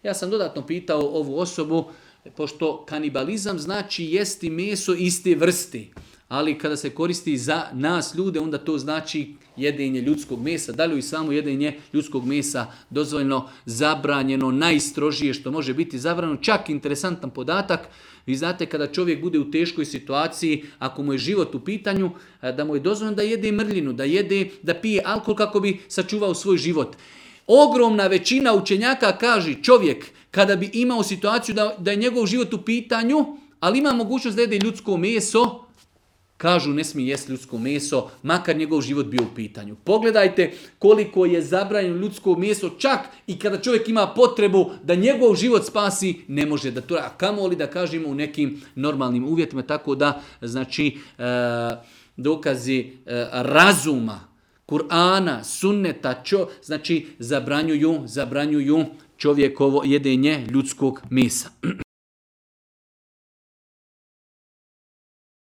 Ja sam dodatno pitao ovu osobu, pošto kanibalizam znači jesti meso iste vrste, ali kada se koristi za nas ljude, onda to znači jedenje ljudskog mesa. Da li i samo jedenje ljudskog mesa dozvoljeno, zabranjeno, najstrožije što može biti zabranjeno. Čak interesantan podatak, vi znate kada čovjek bude u teškoj situaciji, ako mu je život u pitanju, da mu je dozvoljeno da jede mrljinu, da pije alkohol kako bi sačuvao svoj život. Ogromna većina učenjaka kaže čovjek kada bi imao situaciju da je njegov život u pitanju, ali ima mogućnost da jede ljudsko meso, kažu ne smije jesti ljudsko meso, makar njegov život bio u pitanju. Pogledajte koliko je zabranjeno ljudsko meso, čak i kada čovjek ima potrebu da njegov život spasi, ne može da to, a kamoli da kažemo u nekim normalnim uvjetima, tako da znači dokazi razuma, Kur'ana, sunneta, znači zabranjuju čovjekovo jedenje ljudskog mesa.